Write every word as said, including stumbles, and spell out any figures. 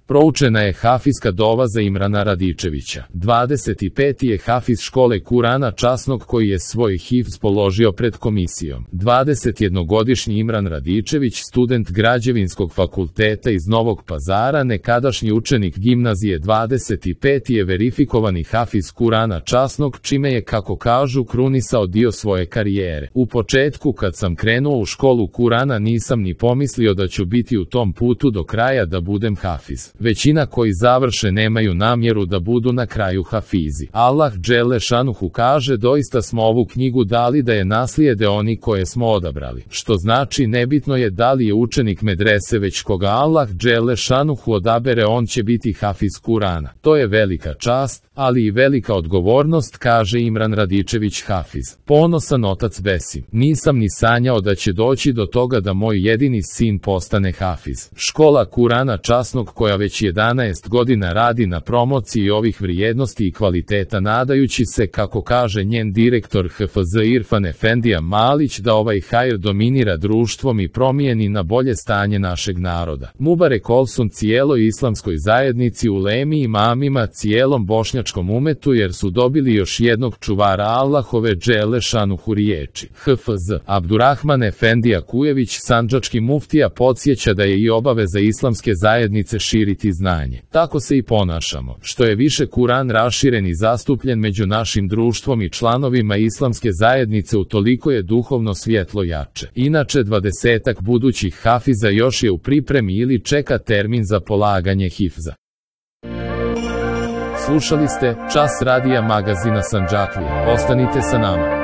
Proučena je hafizska dova za Imrana Radičevića. dvadeset peti je hafiz škole Kurana časnog koji je svoj hifz položio pred komisijom. dvadesetjednogodišnji Imran Radičević, student Građevinskog fakulteta iz Novog Pazara, nekadašnji učenik gimnazije, dvadeset peti je verifikovani hafiz Kurana časnog, čime je, kako kažu, krunisao dio svoje karijere. U početku, kad sam krenuo u školu Kurana, nisam ni pomislio da ću biti u tom putu do kraja da budem hafiz. Većina koji završe nemaju namjeru da budu na kraju hafizi. Allah dželle šanuhu kaže, doista smo ovu knjigu dali da je naslijede oni koje smo odabrali. Što znači, nebitno je da li je učenik medrese, već koga Allah dželle šanuhu odabere, on će biti hafiz Kurana. To je velika čast, ali i velika odgovornost, kaže Imran Radičević hafiz. Ponosan otac Besim. Nisam ni sanjao da će doći do toga da moj jedini sin postane hafiz. Škola Kurana časnog, koja već jedanaest godina radi na promociji ovih vrijednosti i kvaliteta, nadajući se, kako kaže njen direktor H F Z Irfan Efendija Malić, da ovaj hajr dominira društvom i promijeni na bolje stanje našeg naroda. Mubarek olsun cijeloj islamskoj zajednici, ulemi, imamima, cijelom bošnjačkom umetu, jer su dobili još jednog čuvara Allahove dželle šanuhu riječi. H F Z Abdurrahman Efendija Kujević, sandžački muftija, podsjeća da je i obaveza islamske zajednice širiti znanje. Tako se i ponašamo. Što je više Kuran raširen i zastupljen među našim društvom i članovima islamske zajednice, utoliko je duhovno svjetlo jače. Inače, dvadesetak budućih hafiza još je u pripremi ili čeka termin za polaganje hifza. Slušali ste Čas radija magazina Sandžaklija. Ostanite sa nama.